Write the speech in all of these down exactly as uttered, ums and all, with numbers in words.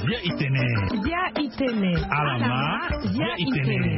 Bia itene. Bia itene. Alama. Bia itene.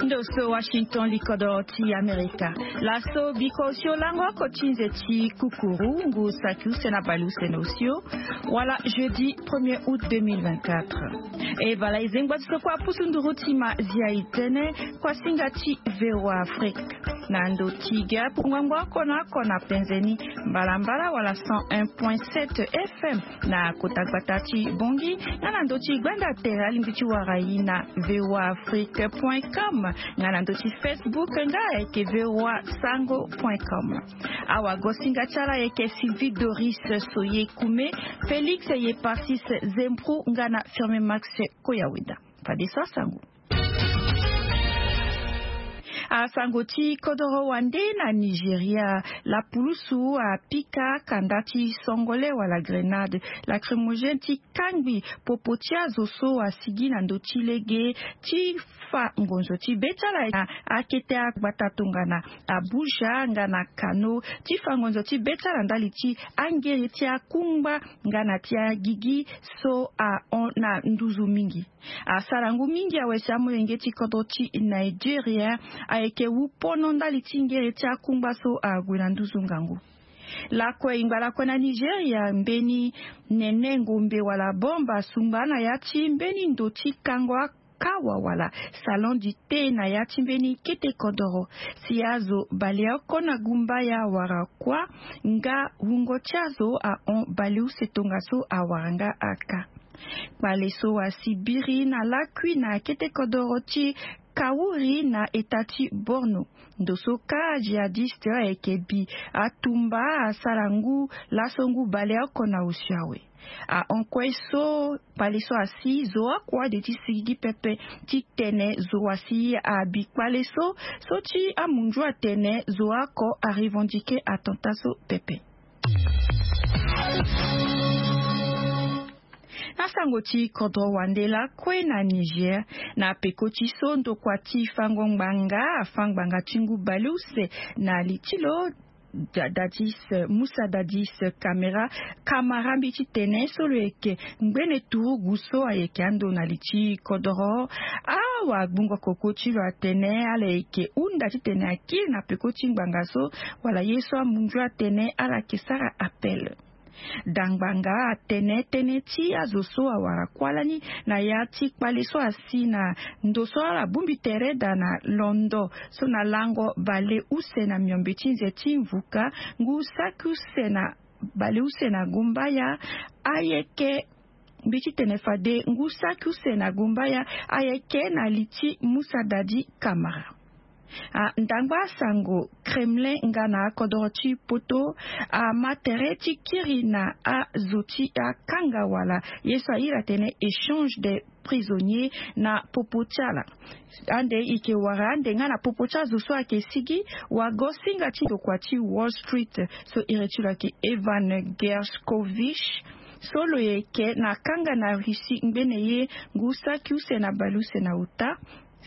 Ndo so Washington, likodoro ti Amerika. Laso biko osio lango oko ti nze ti kukuru ngu saki use na bale use na osio. Wala jeudi premier août deux mille vingt-quatre. E bala e zengba ti so kua pusu nduru ti ma zia itene. Kua singa ti VOA Afrique na ndo ti ge apungango oko na oko na penze ni, mbalambala wala cent un point sept FM na kota gbata ti Bongi, nga na ndo ti gbanda tere alingbi ti wara ye na VOA Afrique point com, nga na ndo ti Facebook nga ayeke VOA Sango point com. Awago singa ti ala ayeke Sylvie Doris Soye Kume, Félix Yeparsis Zempru nga na Firme Max Koyaweda. Fadeso asango. Asango ti kodoro wande na Nigeria, lapulusu apika kanda ti songole wala grenade lacrymogène ti kangbi popo ti azo so asigi na ndo ti lege ti fa ngonzo ti be ti ala na akete agbata tongana Abuja nga na Kano, ti fa ngonzo ti be ti ala ndali ti angere ti akungba nga na ti agigi so ahon na nduzu mingi. Asara ngu mingi awe si amolenge ti kodro ti Nigeria ayeke wu pono ndali ti ngere ti akungba so ague na nduzu ngangu. Lakue e ngba lakue na Nigeria, mbeni nene ngombe wala bombe asungba na ya ti mbeni ndo ti kango akawa wala salon du thé na ya ti mbeni kete kodoro. Si azo baleoko na gumbaya wara kuâ nga wungo ti azo ahon baleuse tongaso awara nga aka. Kpale so asi biri na lakui na kete kodoro ti Kawuri na eta ti Borno. Ndo so kâ jihadiste ayeke bi atumba asara ngu laso ngu baleoko na osio awe. Ahon kue so kpale so asi zo oko ade ti sigigi pepe ti tene zo asi abi kpale so, so ti amunzu atene zo oko arevendiquer attentat so pepe. Na sango ti kodro wande lakue na Niger, na peko ti so ndokua ti fango ngbanga afa ngbanga ti ngu baleuse na li ti lo, Dadis, Musa Dadis Kamera Kamara mbi ti tene so lo yeke ngbene turugu so ayeke ando na li ti kodoro. Awagbungo koko ti lo atene ala yeke hunda titene akiri na peko ti ngbanga so, wala ye so amunzu atene ala yeke sara appel. Dangbanga atene tënë ti azo so awara kuâ lani na ya ti kpale so asi na ndo so ala bongbi tere daa na londo so na lango baleuse na miombe ti nze ti mvuka ngu saki use na baleuse na gumbaya ayeke mbi ti tene fade ngu saki use na gumbaya ayeke na li ti Musa Dadi Kamara. Ah, ndangba asango Kremlin nga na akodoro ti poto ama tere ti kiri na azo ti akanga wala ye so airi atene échange de prisonnier na popo ti ala. Ande e yeke wara ande nga na popo ti azo so ayeke sigi wago singa ti ndokua ti Wall Street so iri ti lo ayeke Evan Gershkovich so lo yeke na kanga na Russie ngbene ye ngu saki use na baleuse na ota.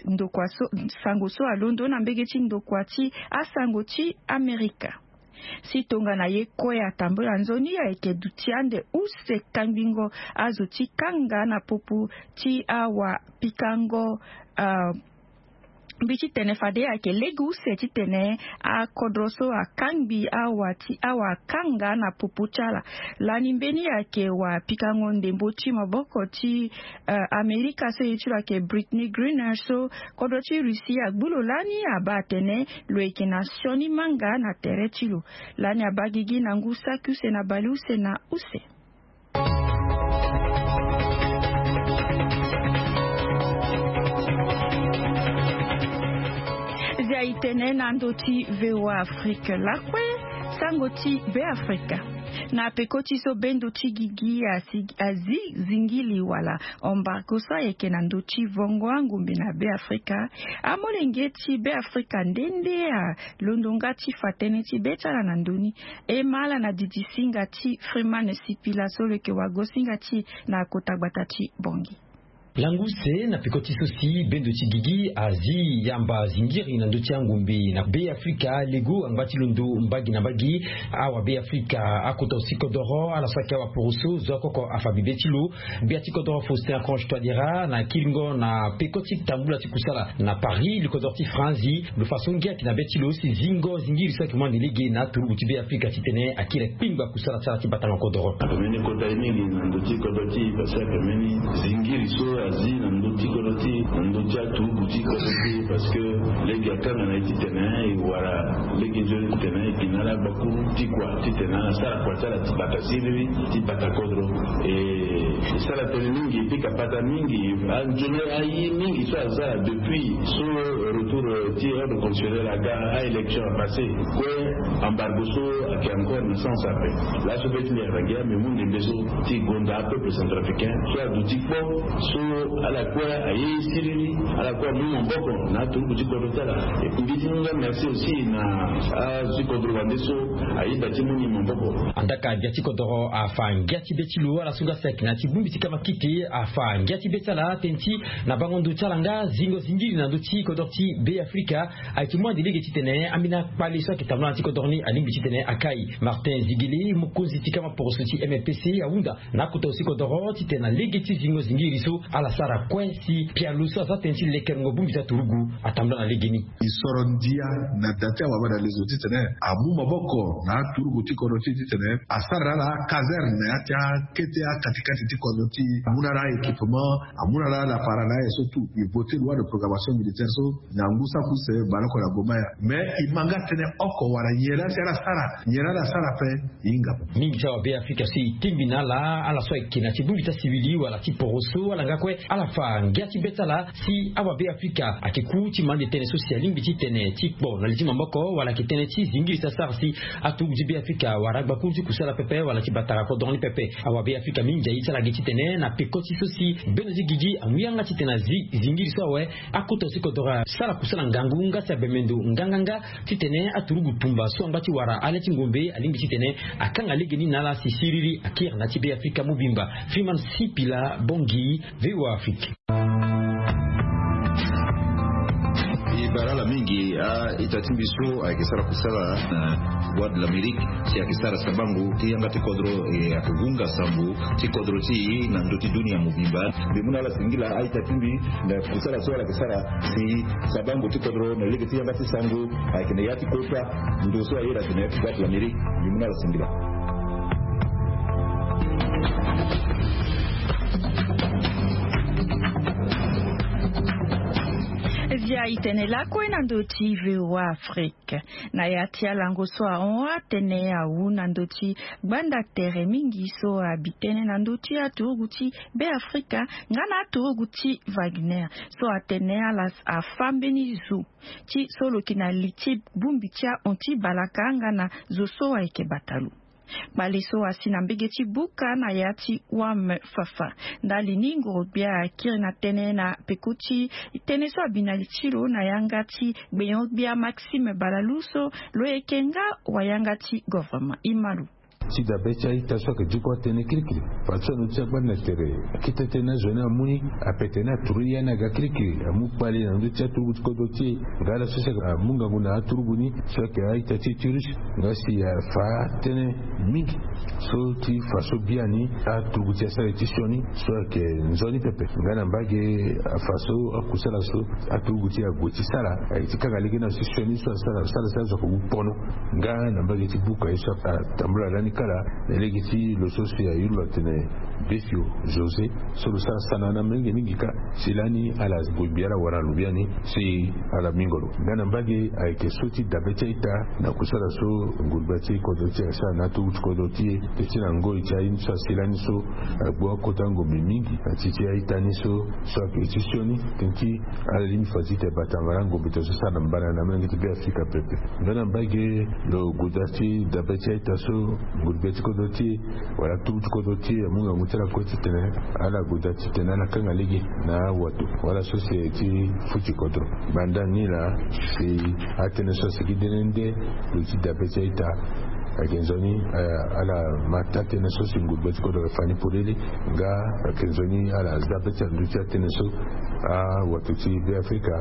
Ndokua so, sango so alondo na mbege ti ndokua ti asango ti Amerika. Si tongana ye kue atambula nzoni ayeke duti ande use kangbingo azo ti kanga na popo ti awapikango, ah, mbi ti tene fade ayeke lege use titene akodro so akangbi awa ti awakanga na popo ti ala. Lani mbeni ayeke wapikango ndembo ti maboko ti, eh, Amerika so ye ti lo ayeke Brittney Griner so kodro ti Russie agbu lo lani abaa atene lo yeke na sioni manga na tere ti lo. Lani abaa gigi na ngu saki use na baleuse na use. Zia itene na ndo ti VOA Afrique lakue, sango ti Be Afrika. Na peko ti so bendo ti gigi asi, azi zingili wala embargo so ayeke na ndo ti vongo angombe na Be Afrika, amolenge ti Be Afrika nde nde alondo nga ti fa tënë ti be ti ala na ndö ni. E ma ala na didi singa ti Freeman Sipila so lo yeke wago singa ti e na kota gbata ti Bongi. Langu use na peko ti so si bendo ti gigi azi yamba zingiri na ndö ti angombe na Be Afrika lego angba ti londo mbagi na mbagi. Awa Be Afrika akota aussi kodoro ala so ayeke awa poroso zo akoko afa bibe ti lo. Gbia ti kodoro Faustin Archange Touadéra na kiringo na peko ti tambula ti kusala na Paris, li kodoro ti Franzi, lo fa so ngia ayeke na be ti lo si zingo zingiri so ayeke mu ande lege na aturugu ti Be Afrika titene akiri akpingba kusala ti ala ti batanga kodoro. Ambeni kota ye mingi na ndö ti kodro ti e parce que ambeni zingiri so azi na ndö ti kodro ti e, na ndö ti aturugu ti kodro ti e, parce que lege akanga na ye titene e wara lege nzoni titene e gi na ala gbakuru ti kua titene ala sara kua ti ala ti bata siriri ti bata kodro. E sara tënë mingi e pika pata mingi. Anzoni aye mingi so aza depuis so retour ti ordre constitutionnel aga, a élection apassé, kue embargo so ayeke encore na sens ape. Laso be ti mbi ayeke na ngia mbi mu ndembe so ti gonda apeuple centrafricain so aduti kpo so ala kue aye siriri, ala kue amu maboko na aturugu ti kodro ti ala. Mbi ti mu nga merci aussi na azo ti kodro wande so ayeda ti mu ni maboko. Andaka gbia ti kodoro afa ngia ti be ti lo ala so nga sek na ti bongbi ti kamakite afa ngia ti be ti ala tënë ti na bango ndo ti ala nga zingo zingiri na ndö ti kodoro ti Be Afrika ayeke mu ande lege titene ambeni akpale so ayeke tambula na ti kodoro ni alingbi titene akai. Martin Zigele, mokonzi ti kama poroso ti M P C, ahunda na akota aussi kodoro titene na lege ti zingo zingiri so ala sara kue si pialo so aza tënë ti lekerengo bongbi ti aturugu atambula na legeni. E soro ndia na da ti awabana lezo titene amu maboko na aturugu ti kodro ti e titene asara na ala akazerne na ya ti akete akatikati ti kodro ti e, amu na ala a-équipement, amu na ala lapara na aye so tout. E voté loi de programmation militaire so na ngu saki use baleoko na goma ya. Mais e ma nga tënë oko wala nyen laa si ala sara, nyen laa ala sara ape. E hinga. Mingi ti awa Be Afrika so e tingbi na ala, ala so ayeke na ti bongbi ti asiwili wala ti poroso, ala nga kue ala fa ngia ti be ti ala si awa Be Afrika ayeke ku ti ma ande tënë so si alingbi ti tene ti kpo na li ti maboko wala ayeke tënë ti zingiri ti asara si aturugu ti Be Afrika wala agbakuru ti kusala pepe wala ti batara kodro ni pepe. Awa Be Afrika mingi aye ti ala gi titene na peko ti so si bendo ti gigi amu yanga titene azi zingiri so awe. Akota aussi kodoro asara kusala ngangu nga si abemendo nganganga titene aturugu tumba so angba ti wara ale ti ngombe alingbi titene akanga legeni na ala si siriri akiri na ti Be Afrika mobimba. Freeman Sipila Bongi, V O A Afrique. E bara ala mingi a-ita ti mbi so ayeke sara kusala na Voix de l'Amérique si ayeke sara sabango ti yanga ti kodro, e ayeke gunga sambo ti kodro ti e na ndö ti dunia mobimba. Mbi mu na ala singila a-ita ti mbi na kusala so ala yeke sara si sabango ti kodro na lege ti yanga ti sango ayeke na ya ti kota ndo so ayeda atene Voix de l'Amérique. Mbi mu na ala singila. Via itene lakue na ndö ti V O A Afrique. Na ya ti alango so ahon atene awu na ndö ti gbanda tere mingi so abi tënë na ndö ti aturugu ti Be Afrika nga na aturugu ti Wagner so atene ala afa mbeni zo ti so lo yeke na li ti bongbi ti ahon ti balaka nga na zo so ayeke bata lo. Kpale so asi na mbege ti buka na ya ti wam fafa ndali ni ngoro-gbia akiri na tënë na peko ti tënë so abi na li ti lo na yanga ti gbenyo-gbia Maxime Balalu so lo yeke nga wayanga ti governement. E ma lo. Ti dabe ti a-ita so ayeke diko atënë kirikiri. Fadeso na ndö ti agbanda tere akete tënë azo ni amu ni ape tene aturu ya ni aga kirikiri amu kpale na ndö ti aturugu ti kodro ti e. Nga ala so si ayeke amu ngangu na aturugu ni so ayeke a-ita ti e ti russe nga si afa tënë mingi so ti fa so biani aturugu ti e asara e ti sioni so ayeke nzoni pepe. Nga na mbage afa so akusala so aturugu ti e ague ti sara ayeke ti kanga lege ni na si sioni so asara asara si azo ayeke wu pono. Nga na mbage ti buka ye so atambula lani kala na lege ti lo so si ayuru lo atene Besio José so lo sara sana na mingi mingi ka. Si lani ala gue mbi ala wara lo biani si ala mingo lo. Nga na mbage ayeke so ti dabe ti a-ita na kusala so ngurugba ti kodro ti e asara na aturugu ti kodro ti e. Teti na ngoi ti aye ni so asi lani so agbu akota ngombe mingi na ti ti a-ita ni so so ayeke ti sioni teti ala lingbi fa ti tene batanga na ngombe ti so sara na mbana na molenge ti Be Afrika pepe. Nga na mbage lo goda ti dabe ti a-ita so ngurugba ti kodro ti e wala aturugu ti kodro ti e amu ngangu ti ala kue titene ala goda titene ala kanga lege na awato wala so si aye ti futi kodro. Banda ni laa si atënë so asigi dene nde lo ti dabe ti a-ita. Ayeke nzoni ala ma taa tënë so si ngurugbe ti kodro ayeke fa ni polele. Nga ayeke nzoni ala za be ti ala ndö ti atënë so awato ti Beafrika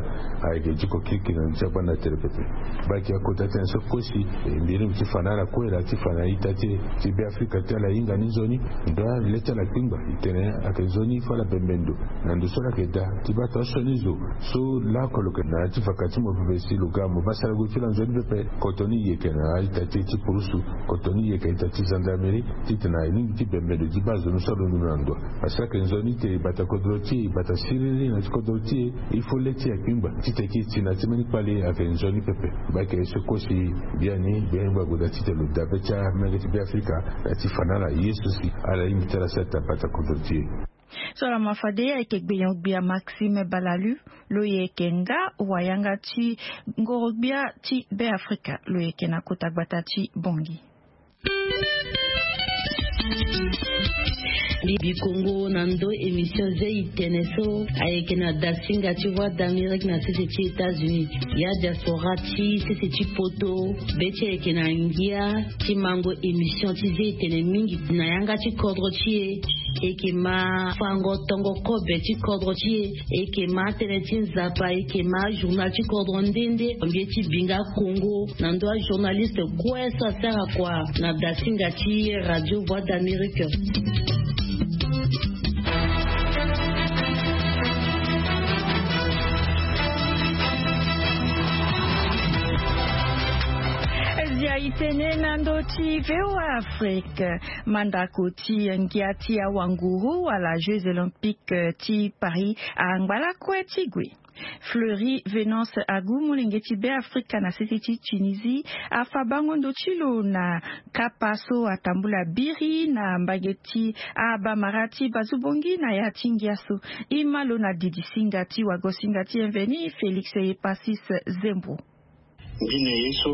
ayeke diko kirikiri na ndö ti agbanda tere pepe. Baa ayeke akota tënë so kue si mbi lingbi ti fa na ala kue laa ti fa na a-ita ti e ti Beafrika ti ala hinga ni nzoni. Ndo ale ti ala kpingba e tene ayeke nzoni fo ala bembe ndo na ndo so ala yeke daa ti baa tonga sioni zo so laoko lo yeke na ya ti vaka ti mo pepe si lo ga mo baa sara gue ti lo anzoni pepe. Koto ni e yeke na a-ita ti e ti purusu. Koto ni e yeke a-ita ti gendarmerie titene e lingbi ti bembe ndo ti baa zo ni so alondo na ndo. Parce que ayeke nzoni ti e e bata kodro ti e e bata siriri na ya ti kodro ti e. Il faut le ti e akpingba titene e ti e ti na ti mbeni kpale ayeke nzoni pepe. Baa ayeke ye so kue si biani biani baa gue daa titene lo daa be ti amolenge ti Beafrika na ya ti fa na ala ye so si ala lingbi ti ala sara taa bata kodro ti e. So ala ma fade ayeke gbenyo-gbia Maxime Balalu. Lo yeke nga wayanga ti ngoro-gbia ti Beafrika lo yeke na kota gbata ti Bangui. Bibi Kongo na ndo émission ze itene so ayeke na dasinga ti Voix d'Amérique na sese ti États-Unis. Ya diaspora ti sese ti poto be ti ayeke na ngia ti mango émission ti ze itene mingi na yanga ti kodro ti e. Eke ma fango tongo kobe ti kodro ti e. Eke ma tënë ti nzapa eke ma journal ti kodro nde nde. Mbi ye ti binga Kongo na ndo ajournaliste kue so asara kua na dasinga ti radio Voix d'Amérique. Zia itene na ndo ti VOA Afrique. Mandako ti ngia ti awanguru wala Jeux Olympiques ti Paris angba lakue ti gue. Fleury Venance Agu molenge ti Beafrika na sese ti Tunisie afa bango ndo ti lo na kapa so atambula biri na mbage ti abamara ti bazubongi na ya ti ngia so. E ma lo na didi singa ti wago singa ti mveni Félix Epasis Zembo. Mbi na ye so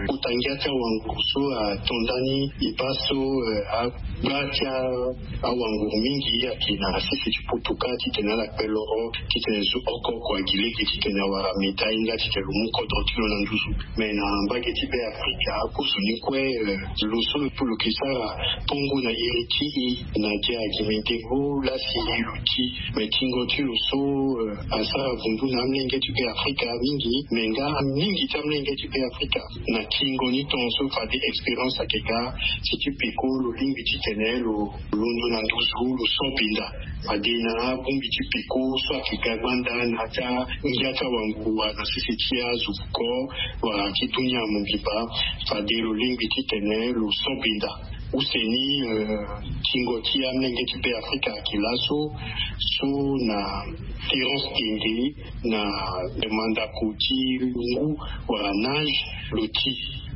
kota ngia ti awanguru so ato ndani e baa so agba ti awanguru mingi ayeke na sese ti poto kâ titene ala kpe loro titene zo oko oko agi lege titene awara médaille nga titene lo mu kodro ti lo na nduzu. Me na mbage ti Beafrika akozo ni kue lo so lo yeke sara tongo na iri ti e na dia gi mindengo lasi lo ti. Me tingo ti lo so asara vundu na amolenge ti Beafrika mingi. Me nga mingi ti amolenge ti Beafrika na tingo ni tongaso fade expérience ayeke ga si ti peko lo lingbi titene lo londo na nduzu lo so binda. Fade na abongbi ti peko so ayeke ga gbanda na ya ti angia ti awanguru wala na sese ti azo vuko wala ti dunia mobimba. Fade lo lingbi titene lo so binda. Use ni tingo ti amolenge ti Beafrika ayeke laso so na Terence Tende na mandako ti lungu wala nage lo ti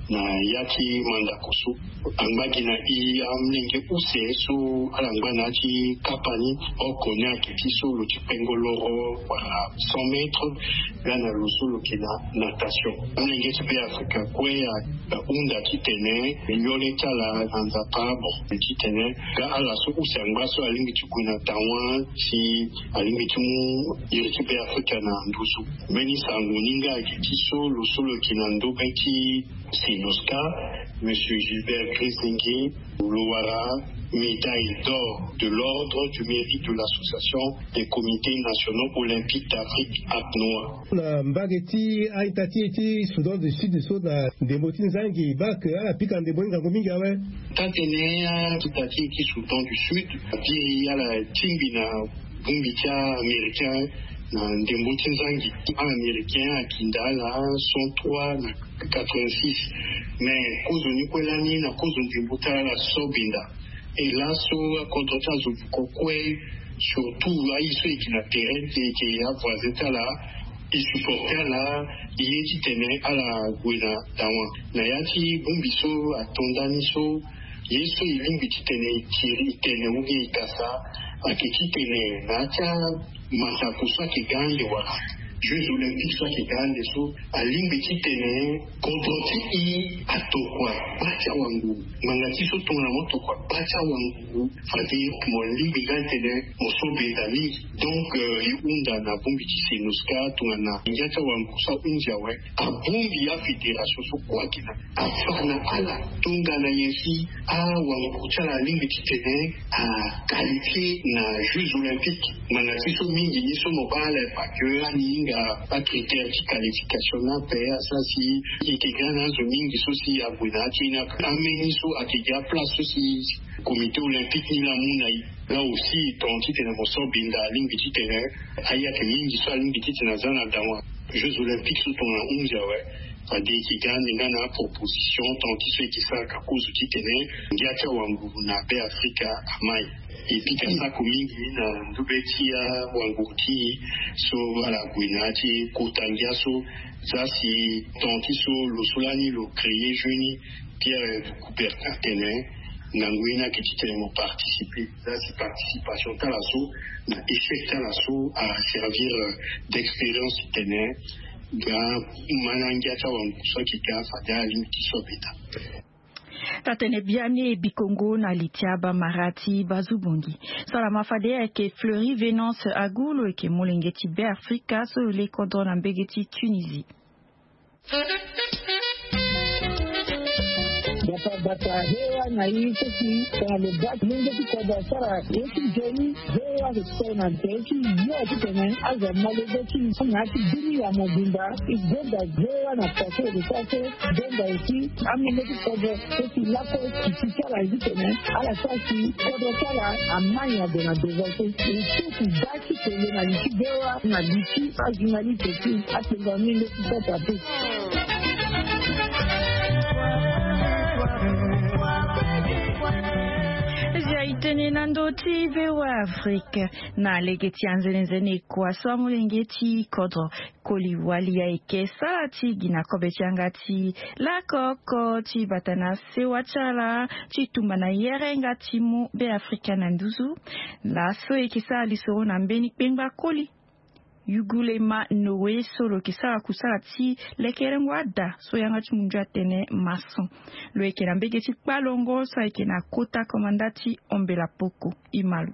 na ya ti mandako so. Angba gi na e amolenge use so ala ngba na ya ti kapa ni oko ni ayeke ti so lo ti pengo loro wala cent mètres. Nga na lo so lo yeke na natation. Amolenge ti Beafrika kue ahunda titene yole ti ala na nzapa bon titene nga ala so use angba so alingbi ti gue na tawa si alingbi ti mu iri ti Beafrika na nduzu. Mbeni sango ni nga ayeke ti so lo so lo yeke na ndobe ti Senoska, Monsieur Gilbert Grisenge, lo wara médaille d'or de l'ordre du mérite de l'association des comités nationaux olympiques d'Afrique, ACNOA. Na mbage ti a-ita ti e ti Soudan du Sud so na ndembo ti nzangi baa ala pika ndembo ni ngangu mingi awe. Taa-tënë a-ita ti e ti Soudan du Sud abiri ala tingbi na bongbi ti a-américain na ndembo ti nzangi. A-américain akinda ala cent trois na quatre-vingt-six. Mais kozo ni kue lani na kozo ndembo ti ala so binda. E laso akodro ti azo vuko kue surtout aye so e yeke na terrain ti e yeke avoisin ti ala e supporter ala e ye titene ala gue na dawa na ya ti bongbi so ato ndani so. Ye so e lingbi titene e tiri e tene ou bien e kasa ayeke titene na ya ti amasako so ayeke ga ande wala Jeux olympiques so ayeke ga ande so, alingbi titene kodro ti e atokua baa ti awanguru. Ngbanga ti so tongana mo tokua baa ti awanguru, fade mo lingbi nga titene mo so benda mingi. Donc e hunda na bongbi ti Senoska tongana ngia ti awanguru so ahunzi awe, abongbi afédération so kue ayeke na afa na ala tongana nyen si awanguru ti ala alingbi titene aqualifie na Jeux olympiques. Ngbanga ti so mingi ni so mo baa ala e pa ke ani hinga acritère ti qualification ni ape, asara si e yeke ga na azo mingi so si ague na ya ti e ni ape. Ambeni so ayeke gi aplace so si comité olympique ni laa amu na e. Laa aussi e ton titene mo so benda alingbi titene ayeke mingi so alingbi titene aza na dawa Jeux olympiques so tongana ahunzi awe. Fade e yeke ga ande nga na aproposition ton ti so e yeke sara ka kozo titene ngia ti awanguru na Be Afrika amai. E pika sako mingi na ndö be ti awanguru ti e so ala gue na ya ti kota ngia so. Za si ton ti so lo so lani lo créer jeu ni, Pierre de Coubertin atene, ngangu ye ni ayeke titene mo participer. Za si participation ti ala so na échec ti ala so aservir d'expérience titene ga ma na ngia ti awanguru so ayeke ga fade alingbi ti so abeta. Taa-tënë biani e bikongo na li ti abamara ti bazu-bongi. Salama fade ayeke Fleury Venance Agu, lo yeke molenge ti Be Afrika so lo le kodro na mbege ti Tunisie. Bata bata hewa na i so si tongana lo baa ti lenge ti kodro asara ye ti nzoni. Hewa ayeke tene na nze ti yo titene azo amolenge ti na ya ti bini ya mobimba. E gonda hewa na pase lo sara so gonda aussi amolenge ti kodro so si lakue ti ti ti ala titene ala sara si kodro ti ala amai ade na devant so. E so si baa ti tene na li ti hewa na li ti ajournaliste ti atengo amolenge ti sasa te. Zia e tene na ndö ti V O A Afrique. Na lege ti anzenenzene kua so amolenge ti kodro koli wali ayeke sara ti gi na kobe ti yanga ti lakoko ti bata na sewa ti ala ti tumba na yere nga ti mu Be Afrika na nduzu. Laso e yeke sara lisoro na mbeni kpengba koli. Yugulema Noé so lo yeke sara kusala ti lekerengo ada so yanga ti mundu atene maçon. Lo yeke na mbege ti kpalongo so ayeke na kota komanda ti Ombela Poko. E ma lo.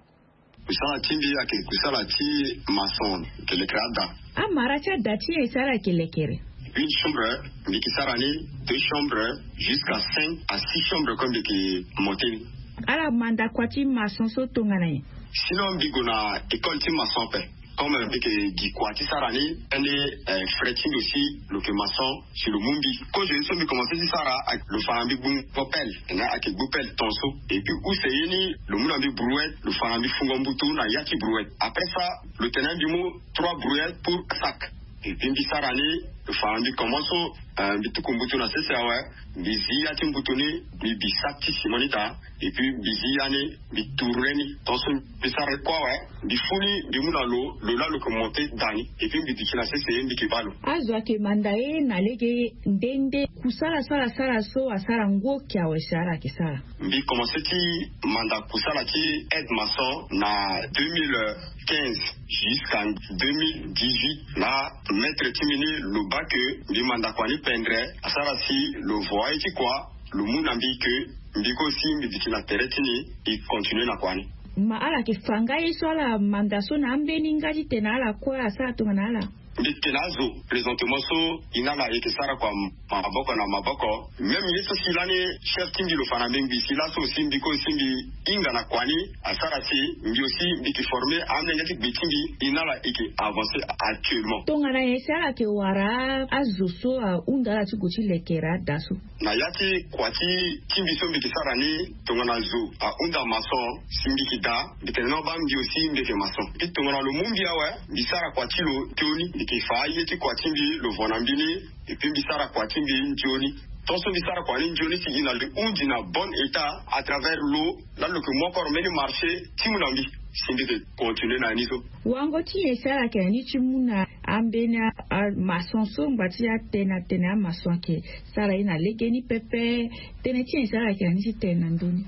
Kusala ti mbi ayeke kusala ti maçon, yeke lekere ada. Amara ti ada ti e si ala yeke lekere? Une chambre, mbi yeke sara ni, deux chambres, jusqu'à cinq à six chambres comme mbi yeke monter ni. Ala manda kua ti maçon so tongana nyen? Sinon mbi gue na école ti maçon ape. Comme mbi yeke gi kua ti sara ni, ande, eh, frère ti mbi aussi lo yeke maçon, si lo mu mbi. Kozo ye so mbi commencé ti sara, lo fa na mbi gbu ngo pelle, nga ayeke gbu pelle ton so. Et puis use ye ni lo mu na mbi brouette, lo fa na mbi fungo mbutu na ya ti brouette. Après ça, lo tene mbi mu trois brouettes pour sac. Et puis mbi sara ni, lo fa na mbi comment so, eh, mbi tuku mbutu na sese awe, mbi zi ya ti mbutu ni, mbi bi sac ti ciment ni daa. Et puis mbi zi ya ni, mbi tourner ni. Ton so mbi sara kue awe, mbi fu ni, mbi mu na lo, lo laa lo yeke monter daa ni. Et puis mbi duti na sese, mbi yeke baa lo. Azo ayeke manda e na lege nde nde kusala so ala sara so asara ngu oke awe si ala yeke sara? Mbi commencé ti manda kusala ti aide maçon na deux mille quinze jusqu'à deux mille dix-huit. Laa maître ti mbi ni lo baa ke mbi manda kua ni pendre, asara si lo voa ye ti kua, lo mu na mbi ke mbi kue aussi mbi duti na tere ti ni, e continuer na kua ni. Ma ala yeke fa nga ye so ala manda so na ambeni nga titene ala kue asara tongana ala? Mbi yeke na azo présentement so e na ala e yeke sara kua maboko na maboko. Même ye so si lani chef ti mbi lo fa na mbi ngbii si laso aussi mbi kue aussi mbi hinga na kua ni, asara si mbi aussi mbi yeke former amolenge ti gbe ti mbi, e na ala e yeke avancer actuellement. Tongana nyen si ala yeke wara azo so ahunda ala ti gue ti lekere ada so? Na ya ti kua ti ti mbi so mbi yeke sara ni, tongana zo ahunda maçon si mbi yeke daa, mbi tene non baa mbi aussi mbi yeke maçon. Mbi tongana lo mu mbi awe, mbi sara kua ti lo nzoni, mbi yeke fa aye ti kua ti mbi, lo vo na mbi ni. Et puis mbi sara kua ti mbi nzoni. Tant so mbi sara kua ni nzoni si e na lo hundi na bon état à travers lo, laa lo yeke mu encore mbeni marché ti mu na mbi. Si mbi yeke continuer na ni so. Wango ti nyen si ala yeke na ni ti mu na ambeni a, amaçon so ngbanga ti atene atene amaçon ayeke sara ye na legeni pepe? Tënë ti nyen si ala yeke na ni ti tene na ndö ni?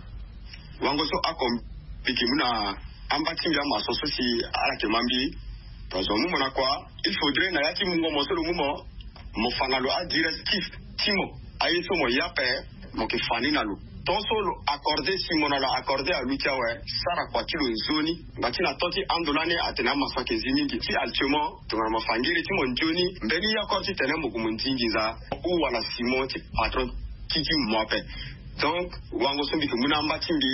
Wango so oko mbi yeke mu na amba ti mbi amaçon so si ala yeke ma mbi. Parce que mo mona kua, il faudrait na ya ti mungo mo so lo mu mo, mo fa na lo adirectif ti mo, aye so mo ya pe, mo ke fa ni na lo. Tant so lo accorde si mo na lo accorde aluti awe, sara kua ti lo nzoni. Ngba ti na tant ti ando lani atene amasaka ezi mingi ti altuement tongana mo fa ngiri ti mo nzoni, mbeni yakor ti tene mo gue mo ndingi nza ou wala simon ti patron ti ti mo ape. Donc wango so mbi ke mu na amba ti mbi,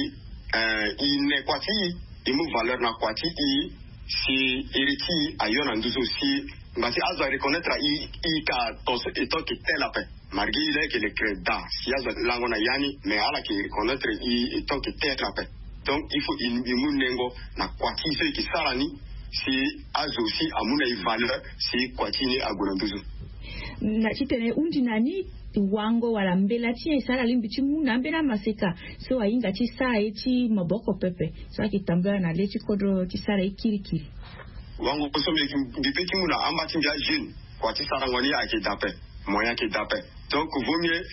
eh, i ne kua ti i, i mu valeur na kua ti i, si iri ti i ayo na nduzu si ngba ti azo areconnaître i, i ka ton so étant que tel ape. Malgré i leke le creda si azo alango na ya ni, mais ala ke reconnaître i étant que tel ape. Donc il faut i mu nengo na kua ti i so i ke sara ni, si azo aussi amu na i valeur, si kua ti i ni ague na nduzu. Na titene hundi na ni wango wala mbela ti e so ala lingbi ti mu na ambeni amaseka so ahinga ti sara ye ti maboko pepe so ayeke tambula na le ti kodro ti sara ye kirikiri. Wango so mbi pe ti mu na amba ti mbi ajeune, kua ti sarango ni ayeke dape, moyen ayeke dape. Donc vaut mieux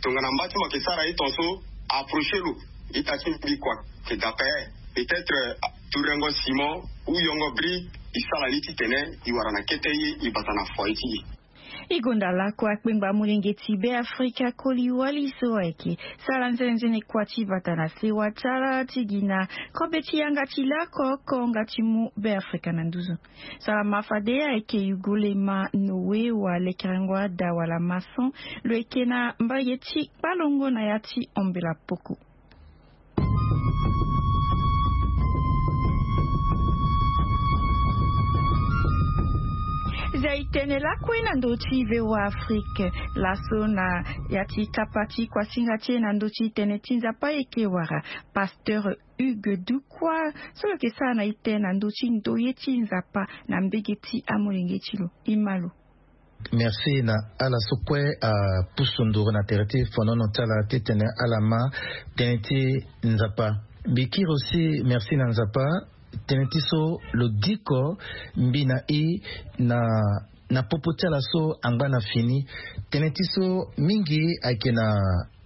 tongana mba ti mo ayeke sara ye ton so, approcher lo. Ita ti mbi kua ayeke dape. Peut-être tourengo simon ou yongo bri, i sara ni titene i wara na kete ye i bata na foyer ti i. I gonda lakue akpengba molenge ti Beafrika koli wali so ayeke sara nzenenzene kua ti bata na sewa ti ala ti gi na kobe ti yanga ti lakue oko nga ti mu Beafrika na nduzu. Salama fade ayeke Yugolema Noé wa lekerengo ada wala maçon, lo yeke na mbage ti kpalongo na ya ti ombela poko. Zia i tene lakue na ndö ti V O A Afrique. Laso na ya ti kapa ti kuasinga ti e na ndö ti tene ti Nzapa e yeke wara pasteur Hugues Dukwa so lo yeke sara na ite na ndö ti ndoye ti Nzapa na mbege ti amolenge ti lo. I ma lo. Merci na ala so kue apusu nduru na tere ti fonono ti ala titene ala ma tënë ti Nzapa. Mbi kiri aussi merci na Nzapa tënë ti so lo diko mbi na i na na popo ti ala so angba na fini. Tënë ti so mingi ayeke na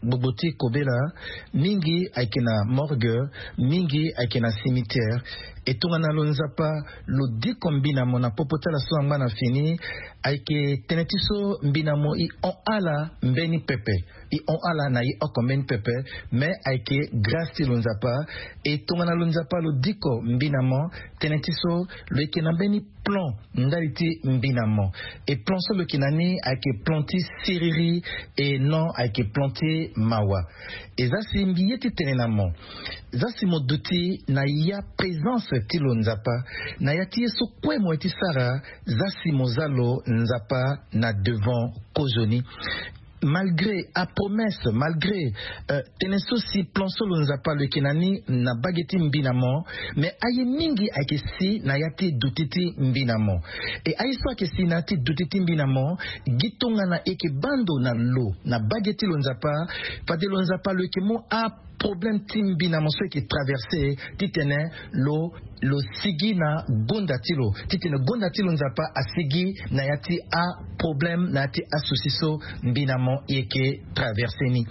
gbogbo ti kobela, mingi ayeke na morgue, mingi ayeke na cimetière. E tongana lo Nzapa lo diko mbi na mo na popo ti ala so angba na fini, ayeke tënë ti so mbi na mo i hon ala mbeni pepe. I hon ala na i oko mbeni pepe. Me ayeke grâce ti lo Nzapa. E tongana lo Nzapa lo diko mbi na mo, tënë ti so lo yeke na mbeni plan ndali ti mbi na mo. E plan so lo yeke na ni ayeke plan ti siriri, e non ayeke plan ti mawa. E za si mbi ye ti tene na mo, za si mo duti na ya présence ti lo Nzapa na ya ti ye so kue mo ye ti sara, za si mo za lo Nzapa na devant kozoni. Malgré apromesse, malgré tene so si plan so lo Nzapa lo yeke na ni na bage ti mbi na mo, me aye mingi ayeke si na ya ti duti ti mbi na mo. E aye so ayeke si na ya ti duti ti mbi na mo, gi tongana e yeke baa ndo na lo na bage ti lo Nzapa, fade lo Nzapa lo yeke mu a problème ti mbi na mo so e yeke traverse titene lo lo sigi na gonda ti lo, titene gonda ti lo Nzapa asigi na ya ti aproblème, na ya ti asouci so mbi na mo e yeke traverse ni.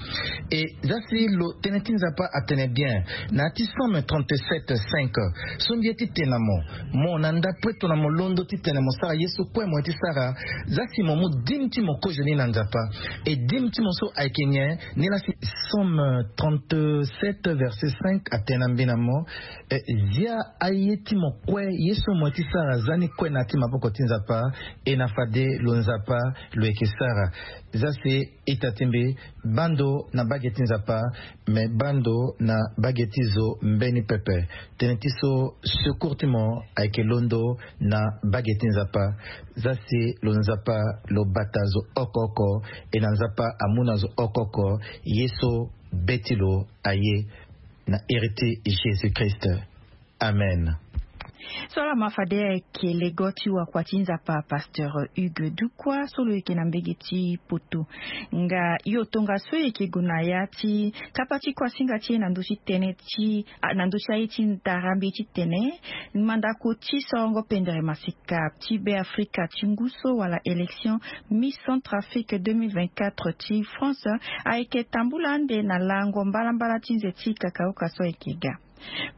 E za si lo tënë ti Nzapa atene bien na ya ti Psaume trente-sept cinq, so mbi ye ti tene na mo, mo na ndapue tongana mo londo titene mo sara ye so kue mo ye ti sara, za si mo mu dime ti mo kozoni na Nzapa. E dime ti mo so ayeke nyen? Nilaa si Psaume trente-sept verset cinq atene na mbi na mo, eh, zia aye ti mo kue ye so mo ye ti sara za ni kue na ya ti maboko ti Nzapa. E na fade lo Nzapa lo yeke sara. Za si ita ti mbi, baa ndo na bage ti Nzapa, me baa ndo na bage ti zo mbeni pepe. Tënë ti so secours ti mo ayeke londo na bage ti Nzapa. Za si lo Nzapa lo bata zo oko oko, e na Nzapa amu na zo oko oko ye so be ti lo aye, na iri ti Jésus-Christ. Amen. So ala ma fade ayeke lego ti wakua ti Nzapa, pasteur Hugues Dukwa, so lo yeke na mbege ti Poto. Nga yo tongaso e yeke gue na ya ti kapa ti kuasinga ti e na ndö ti tënë ti, ah, na ndö ti aye ti ndara mbi ti tene mandako ti sorongo pendere masika ti Beafrika ti ngu so wala élection Miss Centrafrique deux mille vingt-quatre ti France ayeke tambula ande na lango mbalambala ti nze ti kakaoka so ayeke ga.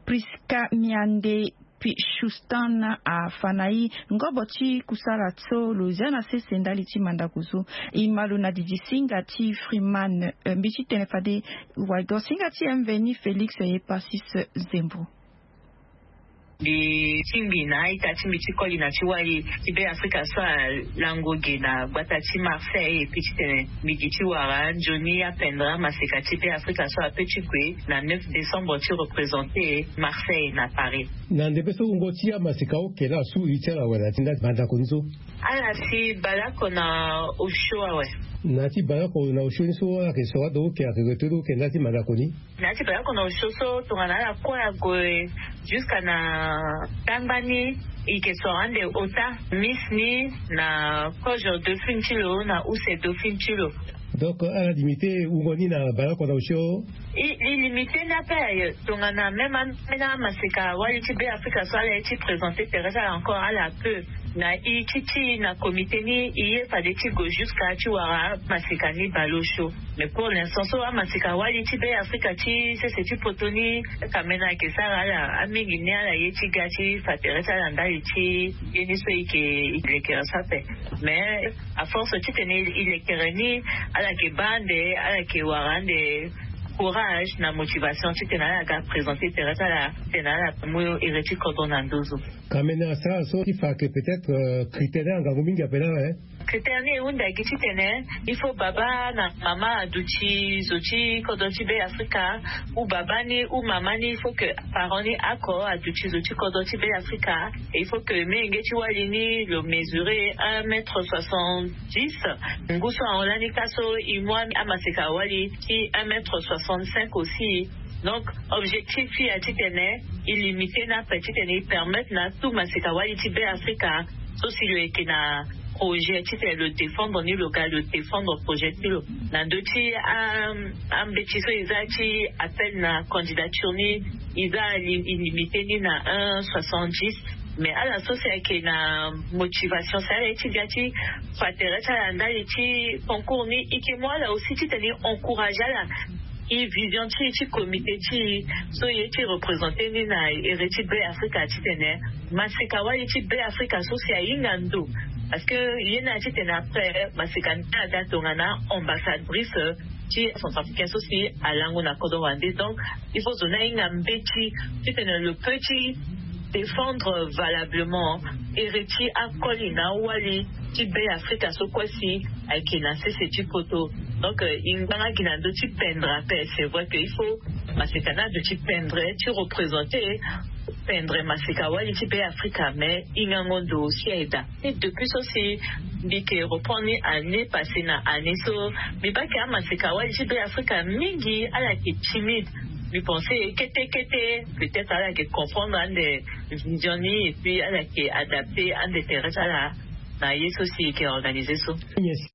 Prisca Miande Pichustan afa na e ngobo ti kusala so lo zia na sese ndali ti mandako so. E ma lo na didi singa ti Freeman, eh, mbi ti tene fade wago singa ti M V ni Félix Epasis Zembo. Mbi tingbi na a-ita ti mbi ti koli na ti wali ti Be Afrika so alango ge na gbata ti Marseille, e pi ti tene mbi gi ti wara nzoni apendre amaseka ti Be Afrika so ape ti gue na neuf décembre ti représenter Marseille na Paris. Na ndembe so wungo ti amaseka oke laa su iri ti ala awe na ti ndali mandako ni so? Ala si baleoko na osio awe. Na ti baleoko na osio ni so ala yeke soro ado oke, ayeke gue to do oke ndali ti mandako ni? Na ya ti baleoko na osio so tongana ala kue ague jusqu'à na tangba ni, e yeke soro ande ota miss ni na kozo dauphine ti lo na use dauphine ti lo. Donc ala limité wungo ni na baleoko na osio? E, e limité ni ape. Tongana même ambeni amaseka wali ti Be Afrika so ala ye ti présenter tere ti ala encore, ala peut na e ti ti na comité ni e ye fade ti gue jusqu'à ti wara amaseka ni baleosio. Mais pour l'instant so amaseka wali ti Be Afrika ti sese ti poto ni, kamena ayeke sara ala, amingi ni ala ye ti ga ti fa tere ti ala ndali ti ye ni so e yeke lekere so ape. Mais à force titene e lekere ni, ala yeke baa ande, ala yeke wara ande courage na motivation titene ala ga présenter tere ti ala, titene ala mu iri ti kodro na nduzu. Kamena asara so ti fa ayeke peut-être, euh, critère ni angangu mingi ape laa, hein? Critère ni e hunda gi titene il faut baba na mama aduti zo ti kodro ti Be Afrika, ou baba ni ou mama ni, il faut que parent ni oko aduti zo ti kodro ti Be Afrika. Et il faut que menge ti wali ni lo mesurer un mètre soixante-dix. Ngu so ahon lani ka so e mu amaseka wali ti un mètre soixante-cinq aussi. Donc objectif ti e aye titene e limité ni ape, titene e permettre na tout maseka wali ti Be Afrika so si lo yeke na projet titene lo défendre ni, lo ga lo défendre projet ti lo. Na ndö ti, euh, ambeti so e za ti appel na candidature ni, e za li-, e limité ni na un soixante-dix. Mais ala so si ayeke na motivation si ala ye ti ga ti fa tere ti ala ndali ti concours ni, e yeke mu ala aussi titene e encourager ala. E vision ti e ti comité ti e so e ye ti représenter ni na iri ti Be Afrika titene maseka wali ti Be Afrika so si ahinga ndo. Parce que ye ni aye titene après maseka ni aga tongana ambassadrice ti centrafricain so si alango na kodro wande. Donc il faut zo ni ahinga mbeti titene lo peut ti défendre valablement iri ti akoli na awali ti Be Afrika so kue si ayeke na sese ti poto. Donc, euh, e ngbanga gi na ndö ti pendre ape. C'est vrai que il faut maseka ni ado ti pendre, ti représenter, pendre maseka wali ti Be Afrika, mais e hingango ndo aussi aye daa. Et depuis so si mbi yeke reprendre ni année passée na année so, mbi baa ke amaseka wali ti Be Afrika mingi ala yeke timide. Mbi pense kete kete peut-être ala yeke comprendre ande vision ni, et puis ala yeke adapter ande tere ti ala na ye so si e yeke organiser so. Yes.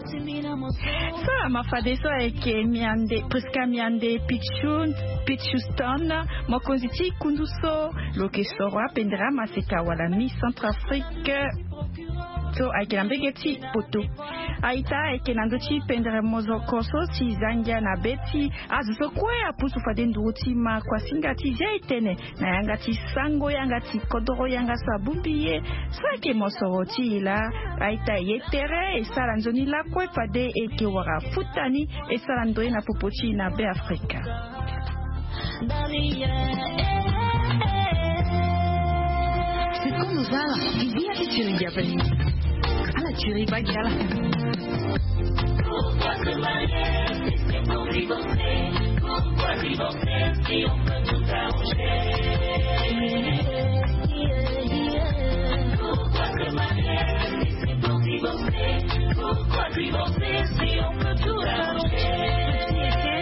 So ama fadeso ayeke Miande, Prisca Miande Pichu, Pichuston, mokonzi ti kundu so lo yeke soro apendere amaseka wala Miss Centrafrique so ayeke na mbege ti poto. A-ita, ayeke na ndö ti pendere mozoko so si za ngia na be ti azo so kue apusu fade nduru ti ma kuasinga ti zia e tene na yanga ti sango, yanga ti kodoro, yanga so abongbi ye. So ayeke mosoro ti e laa, a-ita, e ye tere, e sara nzoni lakue fade e yeke wara futa ni, e sara ndo ye na popo ti e na Be Afrika. Sikondo za ala, e bi ya ti tiri ngia ape. Ala tiri bagi ala. Pourquoi se marier si c'est pour divorcer? Pourquoi divorcer si on peut tout arranger? Pourquoi se marier si c'est pour divorcer? Pourquoi divorcer si on peut tout arranger?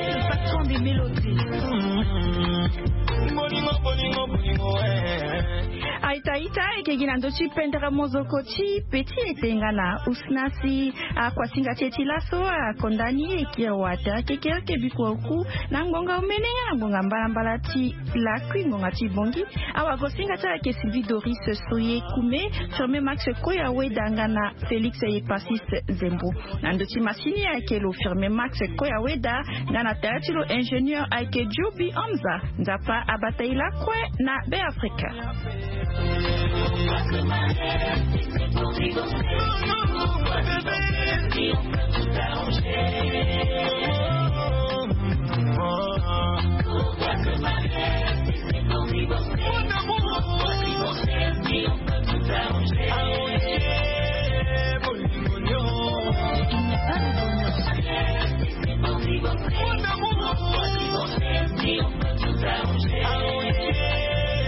Le patron des mélodies. Bolingo, bolingo, bolingo, eh. A-ita, Aita eke gi na ndö ti pendere mozoko ti peti ete nga na usna si akuasinga ti e ti laso akonda ni e kiri wa tere kekereke bikua oku na ngbonga omene nga na ngbonga mbalambala ti lakui ngbonga ti bongi. Awagosinga ti ayeke Sylvie Doris Soye Kume, Firme Max Koya Weda nga na Félix Epasis Zembo. Na ndö ti masini ayeke lo Firme Max Koya Weda nga na tere ti lo ingénieur ayeke Joby Hamza. Nzapa abata e lakue na Be Afrika.